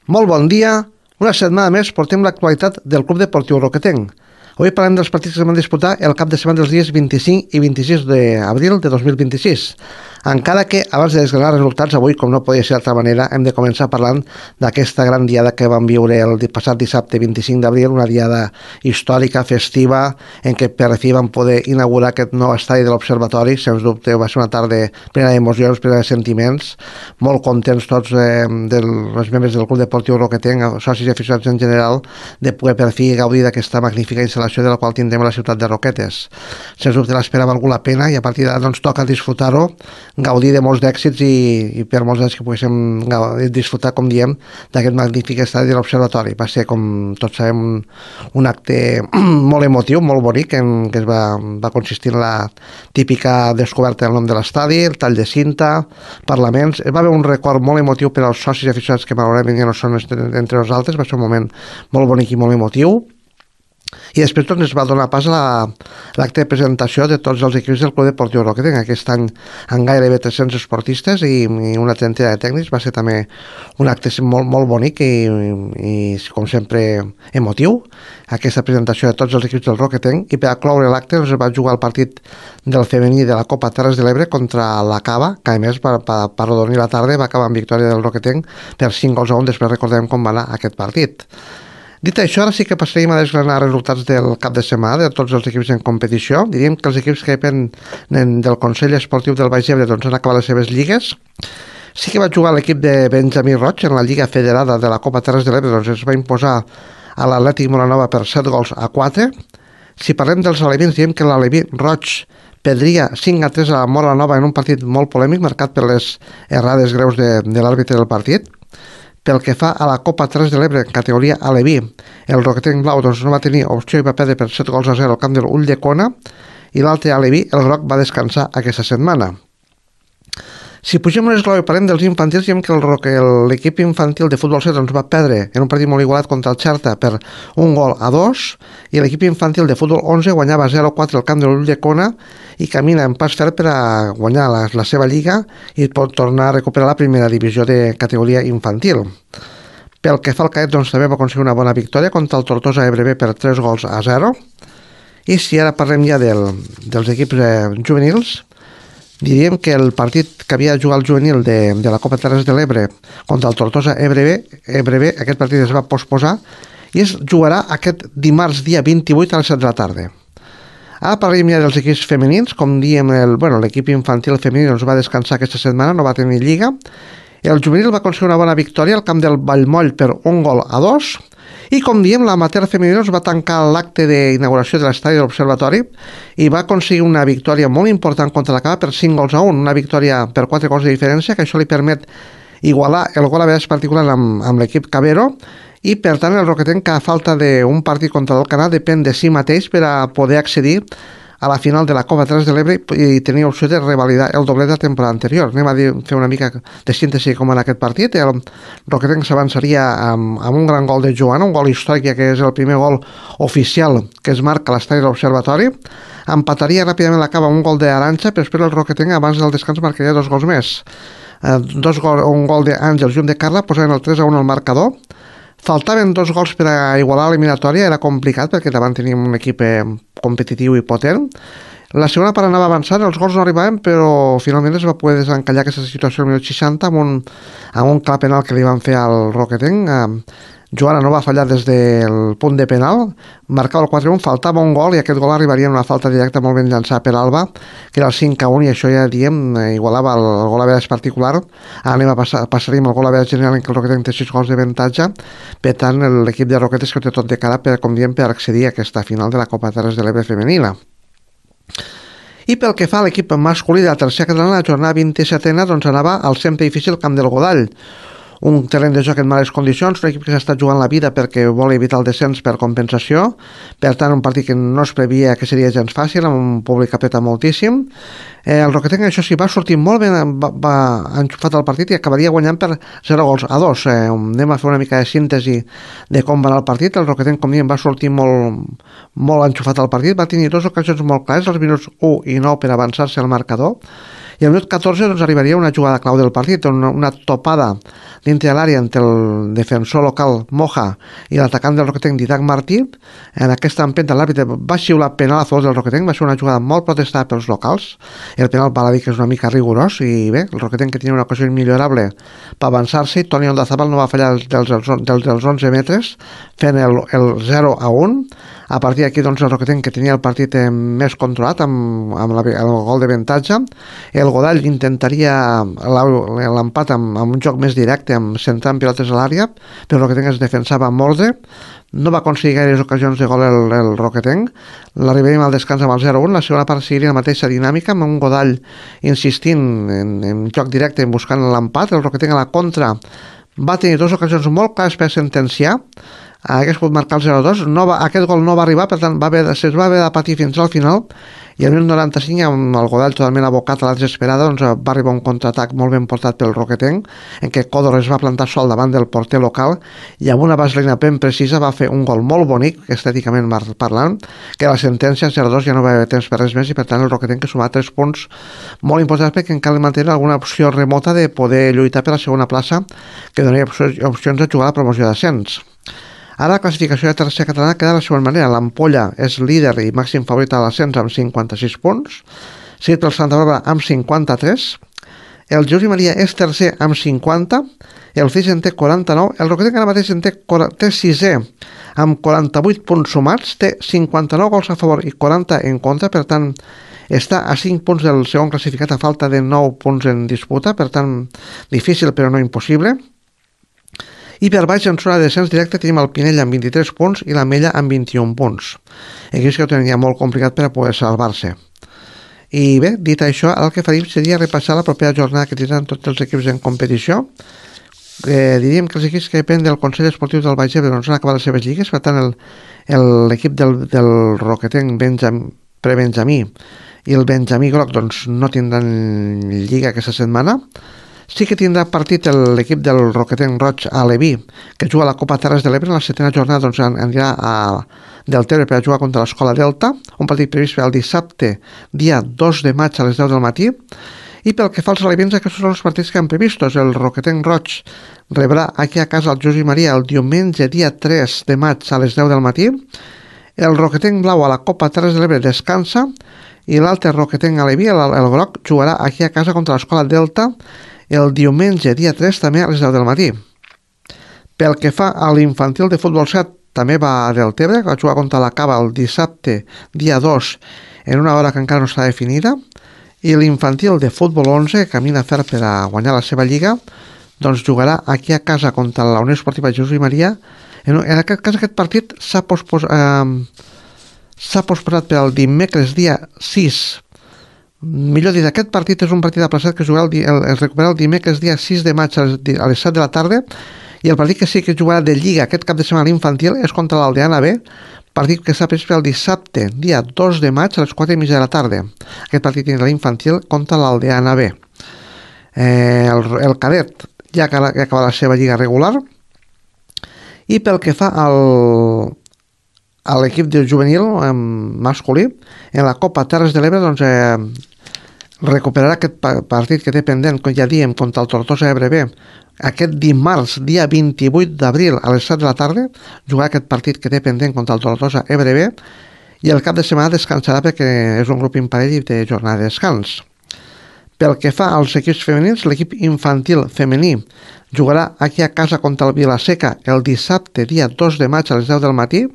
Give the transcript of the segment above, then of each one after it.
Molt bon dia. Una setmana més portem l'actualitat del Club Deportiu Roquetenc. Avui parlem dels partits que es van disputar el cap de setmana dels dies 25 i 26 d'abril de 2026. Encara que, abans de desgranar resultats, avui, com no podia ser d'altra manera, hem de començar parlant d'aquesta gran diada que vam viure el passat dissabte 25 d'abril, una diada històrica, festiva, en què per fi vam poder inaugurar aquest nou estadi de l'Observatori. Sens dubte va ser una tarda plena d'emocions, plena de sentiments, molt contents tots els membres del Club Deportiu Roquetenc, socis i aficionats en general, de poder per fi gaudir d'aquesta magnífica instal·lació de la qual tindrem a la ciutat de Roquetes. Sens dubte l'espera ha valgut la pena i a partir d'ara doncs toca disfrutar-ho, gaudir de molts d'èxits i per molts anys que poguéssim disfrutar, com diem, d'aquest magnífic estadi de l'Observatori. Va ser, com tots sabem, un acte molt emotiu, molt bonic, que es va consistir en la típica descoberta del nom de l'estadi, el tall de cinta, parlaments. Va haver un record molt emotiu per als socis i aficionats que malauradament ja no són entre nosaltres. Va ser un moment molt bonic i molt emotiu. I després doncs, es va donar pas a l'acte de presentació de tots els equips del Club Deportiu Roquetenc. Aquest any amb gairebé 300 esportistes i una trentena de tècnics. Va ser també un acte molt, molt bonic i com sempre emotiu, aquesta presentació de tots els equips del Roquetenc. I per acloure l'acte es va jugar el partit del femení de la Copa Terres de l'Ebre contra la Cava, que a més per arrodonir la tarda va acabar amb victòria del Roquetenc per 5-1. Després recordem com va anar aquest partit. Dit això, ara sí que passaríem a desgranar resultats del cap de setmana de tots els equips en competició. Diríem que els equips que depenen del Consell Esportiu del Baix Ebre doncs, han acabat les seves lligues. Sí que va jugar l'equip de Benjamí Roig en la Lliga Federada de la Copa Terres de l'Ebre, doncs es va imposar a l'Atlètic Molanova per 7-4. Si parlem dels alevins, diem que l'Aleví Roig perdria 5-3 a la Molanova en un partit molt polèmic, marcat per les errades greus de l'àrbitre del partit. Pel que fa a la Copa Terres de l'Ebre en categoria Aleví, el Roquetenc Blau doncs, no va tenir opció i va perdre per 7-0 al camp de l'Ulldecona, i l'altre Aleví, el Groc, va descansar aquesta setmana. Si pugem un esglaó i parlem dels infantils, diem que l'equip infantil de futbol 7 doncs, va perdre en un partit molt igualat contra el Xerta per 1-2, i l'equip infantil de futbol 11 guanyava 0-4 al camp de l'Ulldecona i camina en pas ferm per a guanyar la seva lliga i pot tornar a recuperar la primera divisió de categoria infantil. Pel que fa al cadet, doncs, també va aconseguir una bona victòria contra el Tortosa EBRB per 3-0. I si ara parlem ja dels equips juvenils, diríem que el partit que havia de jugar el juvenil de la Copa Terres de l'Ebre contra el Tortosa EBRB, aquest partit es va posposar i es jugarà aquest dimarts dia 28 a les 7 de la tarda. Ara parlem ja dels equips femenins. Com diem, l'equip infantil femení doncs, va descansar aquesta setmana, no va tenir lliga. El juvenil va aconseguir una bona victòria al camp del Vallmoll per 1-2. I com diem, l'amateur femení va tancar l'acte d'inauguració de l'estadi de l'Observatori i va aconseguir una victòria molt important contra la Cava per 5-1, una victòria per 4 gols de diferència, que això li permet igualar el gol a vegades particular amb l'equip Cabero, i per tant el Roquetenc, que a falta d'un partit contra l'Alcanar, depèn de si mateix per a poder accedir a la final de la Copa Terres de l'Ebre i tenir opció de revalidar el doblet de la temporada anterior. Anem a fer una mica de síntesi com en aquest partit. El Roquetenc s'avançaria amb un gran gol de Joana, un gol històric, que és el primer gol oficial que es marca a l'estadi de l'Observatori. Empataria ràpidament la Cava un gol d'Arantxa, però després el Roquetenc abans del descans marcaria 2 gols més. Un gol d'Àngels i un de Carla posaven el 3-1 al marcador. Faltaven 2 gols per a igualar l'eliminatòria, era complicat perquè davant teníem un equip competitiu i potent. La segona part anava avançant, els gols no arribaven, però finalment es va poder desencallar aquesta situació al minut 60 amb un clar penal que li van fer al Roquetenc. Joana no va fallar des del punt de penal, marcava el 4-1, faltava un gol i aquest gol arribaria en una falta directa molt ben llançada per Alba, que era el 5-1, i això ja diem, igualava el gol a vegades particular. Ara passaríem el gol a vegades general en què el Roquetenc té 6 gols d'avantatge. Per tant, l'equip de Roquetes que té tot de cara per accedir a aquesta final de la Copa Terres de l'Ebre femenina. I pel que fa a l'equip masculí de la tercera catalana, la jornada 27a doncs anava al sempre difícil camp del Godall, un terreny de joc en males condicions, un equip que s'està jugant la vida perquè vol evitar el descens per compensació. Per tant, un partit que no es previa que seria gens fàcil, amb un públic que apreta moltíssim. El Roquetenc, això sí, va sortir molt ben, va enxufat el partit i acabaria guanyant per 0-2. Anem a fer una mica de síntesi de com va anar el partit. El Roquetenc, com diem, va sortir molt enxufat al partit, va tenir 2 ocasions molt clares, als minuts 1 i 9 per avançar-se al marcador, I al minut 14 doncs, arribaria una jugada clau del partit, una topada dintre de l'àrea entre el defensor local Moja i l'atacant del Roquetenc Didac Martí. En aquesta empenta l'àrbitre va xiular penal a favor del Roquetenc, va ser una jugada molt protestada pels locals. El penal val a dir que és una mica rigorós i bé, el Roquetenc, que tenia una ocasió immillorable per avançar-se, i Toni Ondazabal no va fallar dels 11 metres fent el 0-1. A partir d'aquí doncs, el Roquetenc, que tenia el partit més controlat amb el gol d'avantatge. El Godall intentaria l'empat amb un joc més directe, centrant pilotes a l'àrea, però el Roquetenc es defensava amb ordre. No va aconseguir gaires ocasions de gol el Roquetenc. L'arribaríem al descans amb el 0-1. La segona part seguiria la mateixa dinàmica, amb un Godall insistint en joc directe, buscant l'empat. El Roquetenc a la contra va tenir dues ocasions molt clares per sentenciar. Hagués pogut marcar el 0-2. Aquest gol no va arribar, per tant se'ls va haver de patir fins al final, i al 95, amb el Godall totalment abocat a la desesperada, doncs va arribar un contraatac molt ben portat pel Roquetenc, en què Còdor es va plantar sol davant del porter local i amb una vaselina ben precisa va fer un gol molt bonic, estèticament parlant, que la sentència 0-2 ja no va haver temps per res més, i per tant el Roquetenc que sumar 3 punts molt importants, perquè encara mantenir alguna opció remota de poder lluitar per la segona plaça, que donaria opcions de jugar a la promoció d'ascens. Ara la classificació de tercera catalana queda de la següent manera. L'Ampolla és líder i màxim favorit a l'ascens amb 56 punts, seguit pel Santa Bàrbara amb 53, el Jesús i Maria és tercer amb 50, el Flix en té 49, el Roquetenc ara mateix en té sisè amb 48 punts sumats, té 59 gols a favor i 40 en contra, per tant està a 5 punts del segon classificat a falta de 9 punts en disputa, per tant difícil però no impossible. I per baix, en zona de descens directe, tenim el Pinell amb 23 punts i la Mella amb 21 punts. Equips que ho tenia molt complicat per a poder salvar-se. I bé, dit això, el que faríem seria repassar la propera jornada que tindran tots els equips en competició. Diríem que els equips que depenen del Consell Esportiu del Baix Ebre doncs han acabat les seves lligues, per tant l'equip del Roquetenc prebenjamí i el Benjamí Groc doncs no tindran lliga aquesta setmana. Sí que tindrà partit l'equip del Roquetenc Roig a Leví, que juga a la Copa Terres de l'Ebre. En la setena jornada doncs, anirà a Deltebre per a jugar contra l'Escola Delta, un partit previst per al dissabte, dia 2 de maig a les 10 del matí. I pel que fa als alevins, aquests són els partits que han previstos. El Roquetenc Roig rebrà aquí a casa el Jesús i Maria el diumenge, dia 3 de maig a les 10 del matí. El Roquetenc Blau a la Copa Terres de l'Ebre descansa, i l'altre Roquetenc a Leví, el Groc, jugarà aquí a casa contra l'Escola Delta el diumenge, dia 3, també a les 10 del matí. Pel que fa a l'infantil de futbol 7, també va a Deltebre, que va jugar contra la Cava el dissabte, dia 2, en una hora que encara no està definida, i l'infantil de futbol 11, que camina fer per a guanyar la seva lliga, doncs jugarà aquí a casa contra la Unió Esportiva Jesús i Maria. En aquest cas, aquest partit s'ha posposat per al dimecres, dia 6. Millor dit, aquest partit és un partit aplaçat que es recupera el dimecres dia 6 de maig a les 7 de la tarda, i el partit que sí que jugarà de Lliga aquest cap de setmana infantil és contra l'Aldeana B, partit que està previst per el dissabte, dia 2 de maig a les 4:30 de la tarda. Aquest partit tindrà l'infantil contra l'Aldeana B. El cadet ja ha acabat la seva lliga regular, i pel que fa a l'equip de juvenil masculí, en la Copa Terres de l'Ebre doncs, recuperarà aquest partit que té pendent, com ja diem, contra el Tortosa Ebre B. Aquest dimarts, dia 28 d'abril, a les 7 de la tarda, jugarà aquest partit que té pendent contra el Tortosa Ebre B, i el cap de setmana descansarà perquè és un grup imparell i té jornada de descans. Pel que fa als equips femenins, l'equip infantil femení jugarà aquí a casa contra el Vilaseca el dissabte, dia 2 de maig a les 10 del matí,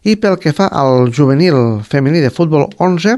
i pel que fa al juvenil femení de futbol 11,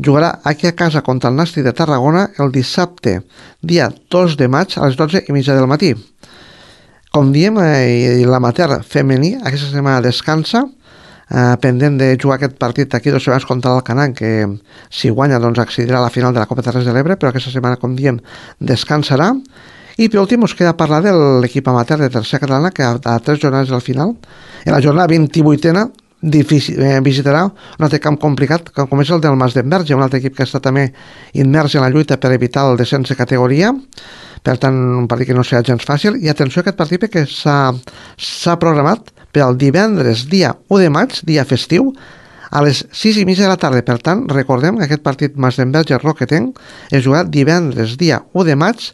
jugarà aquí a casa contra el Nàstic de Tarragona el dissabte, dia 2 de maig a les 12:30 del matí. Com diem, l'amateur femení aquesta setmana descansa, pendent de jugar aquest partit d'aquí 2 setmanes contra l'Alcanar, que si guanya doncs accedirà a la final de la Copa Terres de l'Ebre, però aquesta setmana, com diem, descansarà. I per últim us queda parlar de l'equip amateur de tercera catalana, que a 3 jornades al final, en la jornada 28a, visitarà un altre camp complicat, com és el del Mas d'Enverge, un altre equip que està també immers en la lluita per evitar el descens de categoria. Per tant, un partit que no serà gens fàcil. I atenció a aquest partit, perquè s'ha programat per al divendres, dia 1 de maig, dia festiu, a les 6:30 de la tarda. Per tant, recordem que aquest partit Masdenverge-Roquetenc es jugarà divendres, dia 1 de maig,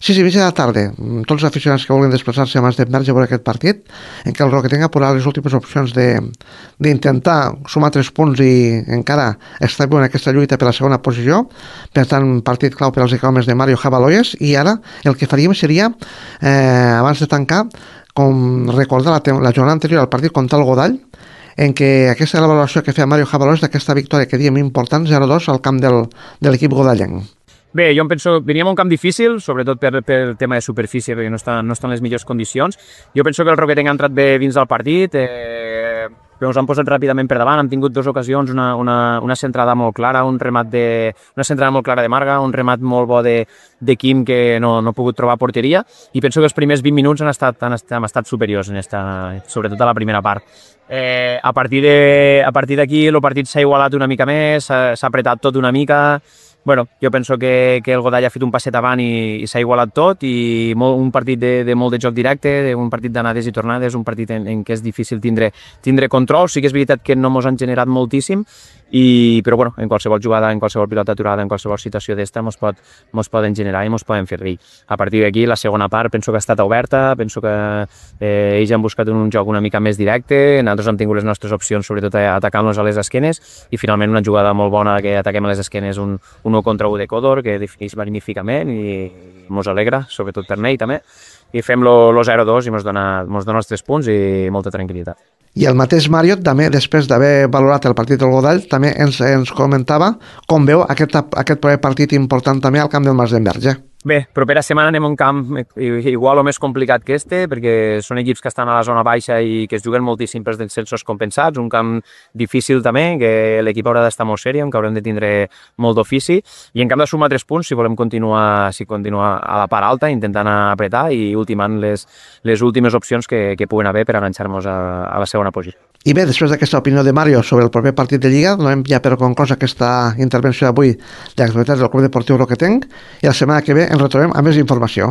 6:30 de la tarda. Tots els aficionats que vulguin desplaçar-se a Masdenverge a veure aquest partit, en què el Roquetenc ha posat les últimes opcions d'intentar sumar 3 punts i encara estar viu en aquesta lluita per la segona posició. Per tant, partit clau per als economes de Mario Jabaloyes. I ara el que faríem seria, abans de tancar, com recordar la jornada anterior al partit contra el Godall, en què aquesta era la valoració que feia Mario Jabaloyes d'aquesta victòria que diem important, 0-2 al camp de l'equip godallenc. Bé, jo em penso, veníem a un camp difícil, sobretot per tema de superfície, perquè no estan en les millors condicions. Jo penso que el Roquetenc ha entrat bé dins del partit, però ens han posat ràpidament per davant, han tingut 2 ocasions, una centrada molt clara, una centrada molt clara de Marga, un remat molt bo de Quim que no ha pogut trobar porteria, i penso que els primers 20 minuts hem estat superiors, sobretot a la primera part. A partir d'aquí el partit s'ha igualat una mica més, s'ha apretat tot una mica. Bueno, jo penso que el Godall ha fet un passet avant i s'ha igualat tot, i un partit de molt de joc directe, un partit d'anades i tornades, un partit en què és difícil tindre control. Sí que és veritat que no mos han generat moltíssim, però bueno, en qualsevol jugada, en qualsevol pilota aturada, en qualsevol situació d'esta mos poden generar i mos poden fer dir. A partir d'aquí, la segona part penso que ha estat oberta, penso que ells han buscat un joc una mica més directe, nosaltres hem tingut les nostres opcions, sobretot atacant-nos a les esquenes, i finalment una jugada molt bona que ataquem a les esquenes, un 1 contra 1 de Codor, que defineix magníficament i mos alegra, sobretot per ell també, i fem lo 0-2 i mos dona els 3 punts i molta tranquil·litat. I el mateix Mario, també, després d'haver valorat el partit del Godall, també ens comentava com veu aquest proper partit important també al camp del Masdenverge. Bé, propera setmana anem a un camp igual o més complicat que perquè són equips que estan a la zona baixa i que es juguen moltíssim pels descensos compensats, un camp difícil també, que l'equip haurà d'estar molt sèrio, que haurem de tindre molt d'ofici, i en camp de sumar 3 punts si volem continuar a la part alta, intentant apretar i ultimant les últimes opcions que puguen haver per enganxar-nos a la segona posició. I bé, després d'aquesta opinió de Mario sobre el proper partit de Lliga, donem ja per conclosa aquesta intervenció d'avui de l'actualitat del Club Deportiu Roquetenc, i la setmana que ve ens retrobem amb més informació.